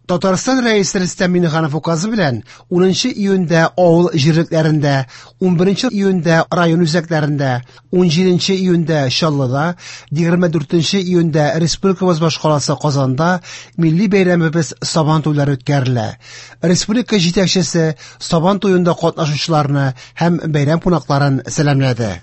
Татарстан Рәисе Рөстәм Миңнеханов указы белән 10 июньдә авыл җирлекләрендә, 11 июньдә район үзәкләрендә, 17 июньдә Чаллыда, 24 июньдә республикабыз башкаласы Казанда милли бәйрәмебез Сабан туйлары үткәрелә. Республика җитәкчесе Сабан туенда катнашучыларны һәм бәйрәм кунакларын сәламләде.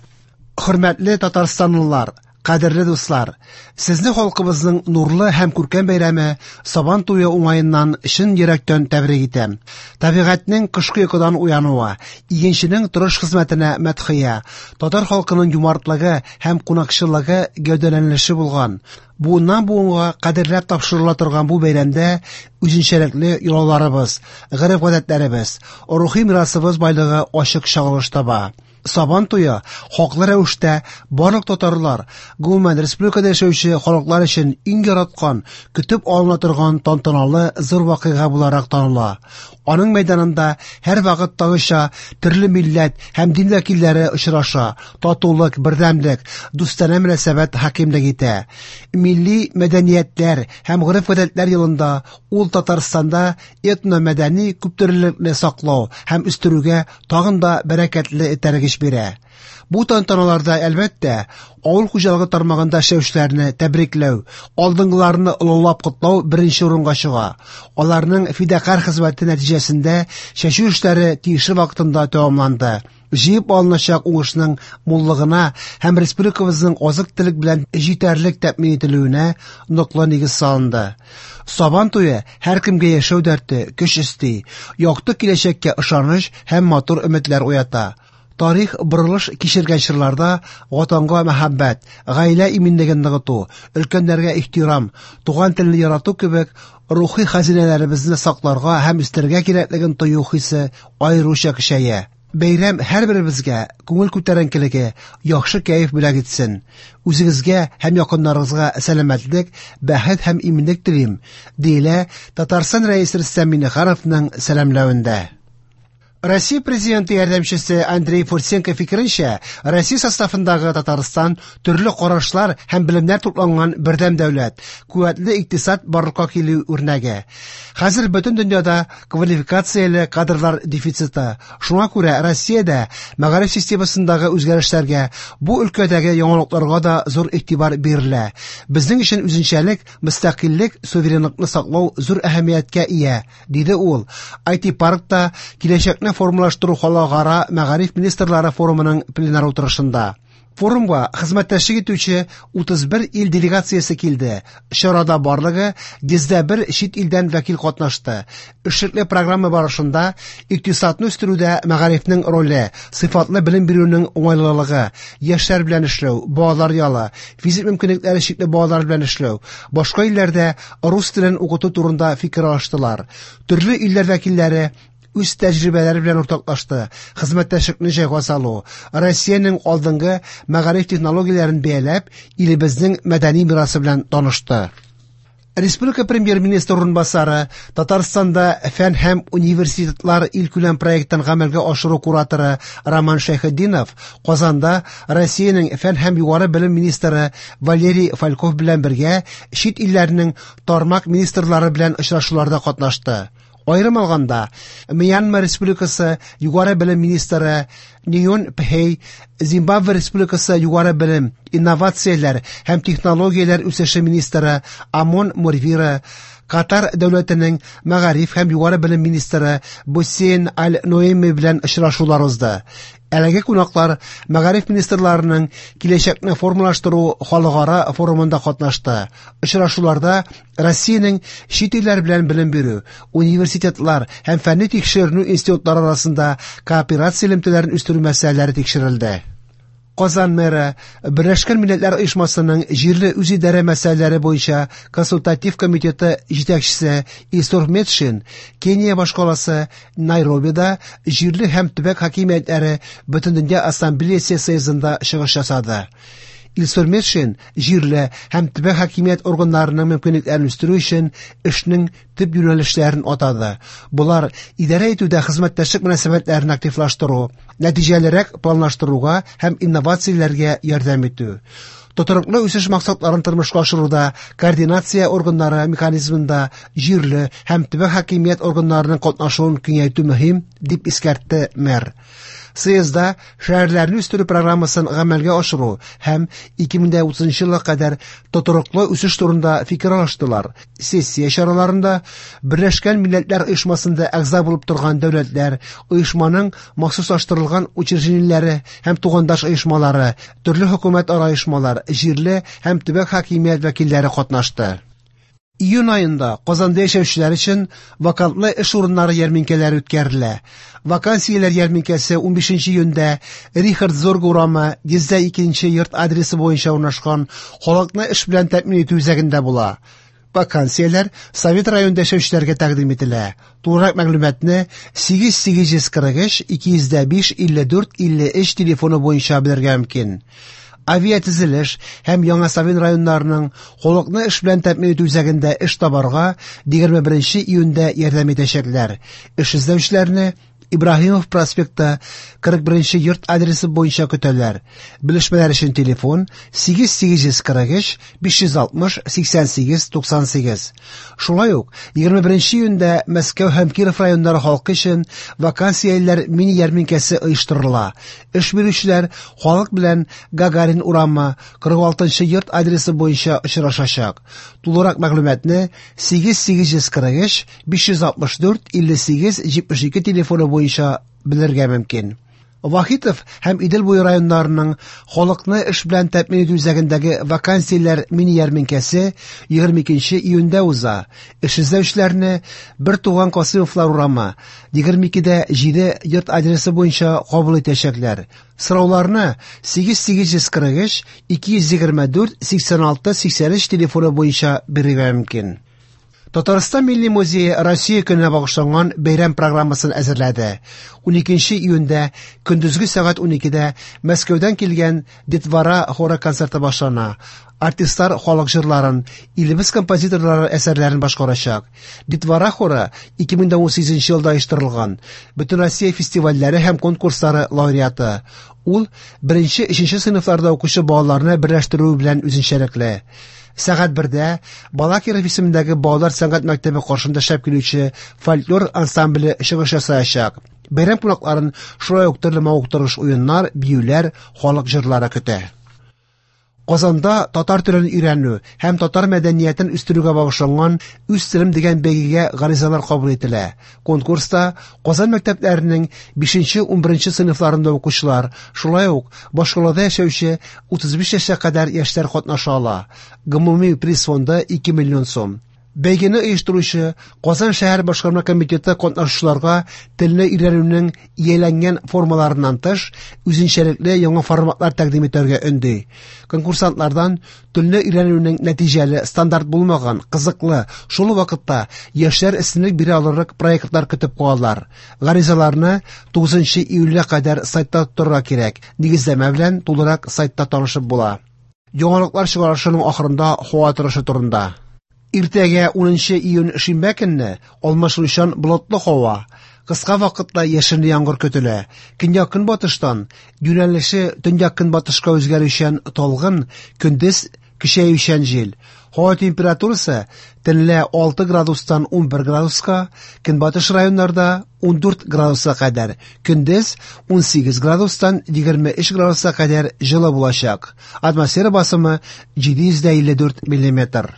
Хөрмәтле татарстанлылар, кадерле дуслар, сезне халкыбызның нурлы һәм күркәм бәйрәме Сабан туе уңаеннан чын йөрәктән тәбрик итәм. Табигатьнең кышкы йокыдан уянуы, игенченең тырыш хезмәтенә мәдхия, татар халкының юмартлыгы һәм кунакчыллыгы гәүдәләнеше булган, буыннан буынга кадерләп тапшырыла торган бу бәйрәмдә үзенчәлекле йолаларыбыз, гореф-гадәтләребез, рухи мирасыбыз байлыгы ачык чагылыш таба. Сабан туе хаклы рәвештә барлык татарлар, гомумән республикада яшәүче халыклар өчен иң яраткан, көтеп алына торган тантаналы зур вакыйга буларак таныла. Аның мәйданында һәрвакыттагыча төрле милләт һәм дин вәкилләре очраша, татулык, бердәмлек, дустанә мөнәсәбәт хакимлек итә. Милли мәдәниятләр һәм гореф-гадәтләр елында ул Татарстанда этномәдәни күптөрлелекне саклау һәм үстерүгә тагын да бәрәкәтле этәргеч бирә. Бу тантаналарда, әлбәттә, авыл хуҗалыгы тармагында эшләүчеләрне тәбрикләү, алдынгыларны олылап котлау беренче урынга чыга. Аларның фидакарь хезмәте нәтиҗәсендә чәчү эшләре тиешле вакытында тәмамланды. Җыеп алыначак уңышның муллыгына һәм республикабызның азык-төлек белән җитәрлек тәэмин ителүенә ныклы нигез салынды. Сабан туе һәркемгә яшәү дәрте, көч өсти, якты киләчәккә ышаныч һәм матур өметләр уята. Тарих борылыш кичергән чорларда Ватанга мәхәббәт, гаилә иминлеген ныгыту, өлкәннәргә ихтирам, туган телне ярату кебек рухи хәзинәләребезне сакларга һәм үстерергә кирәклеген тою хисе аеруча көчәя. Бәйрәм һәрберебезгә күңел күтәренкелеге, яхшы кәеф бүләк итсен. Үзегезгә һәм якыннарыгызга сәламәтлек, бәхет һәм иминлек телим, диелә Татарстан Рәисе Рөстәм Миңнехановның сәламләвендә. Россия Президенты ярдәмчесе Андрей Фурсенко фикеренчә, Россия составындагы Татарстан төрле карашлар һәм белемнәр тупланган бердәм дәүләт, куәтле икътисад барлыкка килү үрнәге. Хәзер бөтен дөньяда квалификацияле кадрлар дефициты. Шуңа күрә Россиядә мәгариф системасындагы үзгәрешләргә, бу өлкәдәге яңалыкларга да зур игътибар бирелә. Безнең өчен үзенчәлек, мөстәкыйльлек, суверенлыкны саклау зур әһәмияткә ия, диде ул IT-паркта киләчәкне формалаштыру халыкара мәгариф министрлары форумының пленар утырышында. Форумга хезмәттәшлек итүче 31 ил делегациясе килде. Чарада барлыгы 101 чит илдән вәкил катнашты. Эшлекле программа барышында икътисадны үстерүдә мәгарифнең роле, сыйфатлы белем бирүнең уңайлылыгы, яшьләр белән эшләү, балалар ялы, физик мөмкинлекләре чикле балалар белән эшләү, башка илләрдә рус телен укыту турында фикер алыштылар. Төрле илләр вәкилләре үз тәҗрибәләре белән уртаклашты, хезмәттәшлекне җайга салу, Россиянең алдынгы мәгариф технологияләрен бәяләп, илебезнең мәдәни мирасы белән танышты. Республика премьер-министры урынбасары, Татарстанда фән һәм университетлар илкүләм проектын гамәлгә ашыру кураторы Роман Шәйхетдинов Казанда Россиянең фән һәм югары белем министры Валерий Фальков белән бергә чит илләрнең тармак министрлары белән очрашуларда катнашты. Аерым алганда, Мьянма Республикасы югары белем министры Нион Пхей, Зимбабве Республикасы югары белем, инновацияләр һәм технологияләр үсеше министры Амон Мурвира, Катар дәүләтенең мәгариф һәм югары белем министры Бусейн Аль-Ноэми белән очрашулар узды. Әлеге кунаклар мәгариф министрларының киләчәкне формалаштыру халыкара форумында катнашты. Очрашуларда Россиянең чит илләр белән белем бирү, университетлар һәм фәнни тикшеренү институтлары арасында кооперация элемтәләрен үстерү мәсьәләләре тикшерелде. Казан мэры, Берләшкән Милләтләр Оешмасының җирле үзидарә мәсьәләләре буенча консультатив комитеты җитәкчесе Илсур Метшин Кения башкаласы Найробида җирле һәм төбәк хакимиятләре Бөтендөнья ассамблеясе съездында чыгыш ясады. Илсур Метшин җирле һәм төбәк хакимият органнарының мөмкинлекләрен үстерү өчен эшнең төп юнәлешләрен атады. Болар идарә итүдә хезмәттәшлек мөнәсәбәтләрен активлаштыру, нәтиҗәлерәк планлаштыруга һәм инновацияләргә ярдәм итү. Тотрыклы үсеш максатларын тормышка ашыруда координация органнары механизмында җирле һәм төбәк хакимият органнарының катнашуын киңәйтү мөһим, дип искәртте мэр. Съездда шәһәрләрне үстерү программасын гамәлгә ашыру һәм 2030 елга кадәр тотрыклы үсеш турында фикер алыштылар. Сессия чараларында Берләшкән Милләтләр Оешмасында әгъза булып торган дәүләтләр, оешманың махсуслаштырылган учреждениеләре һәм тугандаш оешмалары, төрле хөкүмәтара оешмалар, җирле һәм төбәк хакимият вәкилләре катнашты. Июнь аенда Казанда яшәүчеләр өчен вакантлы эш урыннары ярминкәләре үткәрелә. Вакансияләр ярминкәсе 15 июньдә Рихард Зорг урамы 102 йорт адресы буенча урнашкан халыкны эш белән тәэмин итү үзәгендә була. Вакансияләр Совет районында яшәүчеләргә тәкъдим ителә. Тулырак мәгълүматны 8843 205 54 53 телефоны буенча белергә мөмкин. Авиатөзелеш һәм Яңа Савин районнарының халыкны эш белән тәэмин итү үзәгендә эш табарга 21 июньдә ярдәм итәчәкләр. Эш эзләүчеләрне Ибраһимов проспекты 41 йорт адресы буенча көтәләр. Белешмәләр өчен телефон 8843 560 88 98. Шулай ук 21 июньдә Мәскәү һәм Киров районнары халкы өчен вакансияләр мини ярминкәсе оештырыла. Эш бирүчеләр халык белән Гагарин урамы 46 йорт адресы буенча очрашачак. Тулырак мәгълүматны 8843 564 58 72 телефоны буенча белергә мөмкин. Вахитов һәм Идел буе районнарының халыкны эш белән тәэмин итү үзәгендәге вакансияләр мини ярминкәсе 22 июньдә уза. Эш эзләүчеләрне Бер туган Касыймовлар урамы 22-дә 7 йорт адресы буенча кабул итәчәкләр. Сорауларны 8843 224 86 83 телефоны буенча бирергә мөмкин. Татарстан Милли музее Россия көненә багышланган бәйрәм программасын әзерләде. 12 июньдә көндезге сәгать 12-дә Мәскәүдән килгән Детвора хоры концерты башлана. Артистлар халык җырларын, илебез композиторлары әсәрләрен башкарачак. Детвора хоры 2018 елда оештырылган. Бөтенроссия фестивальләре һәм конкурслары лауреаты. Ул 1-3 сыйныфларда укучы балаларны берләштерү белән үзенчәлекле. Сәгать 1-дә Балакиров исемендәге балалар сәнгать мәктәбе каршында эшләп килүче фольклор ансамбле чыгыш ясаячак. Бәйрәм кунакларын шулай ук төрле мавыктыргыч уеннар, биюләр, халык җырлары көтә. Казанда татар телен өйрәнү һәм татар мәдәниятен үстерүгә багышланган Үз телем дигән бәйгегә гаризалар кабул ителә. Конкурста Казан мәктәпләренең 5-11 сыйныфларында укучылар, шулай ук башкалада яшәүче 35 яшькә кадәр яшьләр катнаша ала. Гомуми приз фонды 2 миллион сум. Бәйгене оештыручы Казан шәһәр башкарма комитеты катнашучыларга телне өйрәнүнең ияләнгән формаларыннан тыш, үзенчәлекле яңа форматлар тәкъдим итәргә өнди. Конкурсантлардан телне өйрәнүнең нәтиҗәле, стандарт булмаган, кызыклы, шул ук вакытта яшьләр өстенлек бирә алырлык проектлар көтеп калалар. Гаризаларны 9 июльгә кадәр сайтта тотарга кирәк. Нигезләмә белән тулырак сайтта танышып була. Яңалыклар чыгарышының ахырында һава торышы турында. Иртәгә 10 июнь шимбә көнне алмашынучан болытлы һава, кыска вакытлы яшенле яңгыр көтелә. Көньяк-көнбатыштан юнәлеше төньяк-көнбатышка үзгәрүчән талгын, көндез көчәючән җил. Һава температурасы төнлә 6 градустан 11 градуска, көнбатыш районнарда 14 градуска кадәр, көндез 18 градустан 23 градуска кадәр җылы булачак. Атмосфера басымы 754 миллиметр.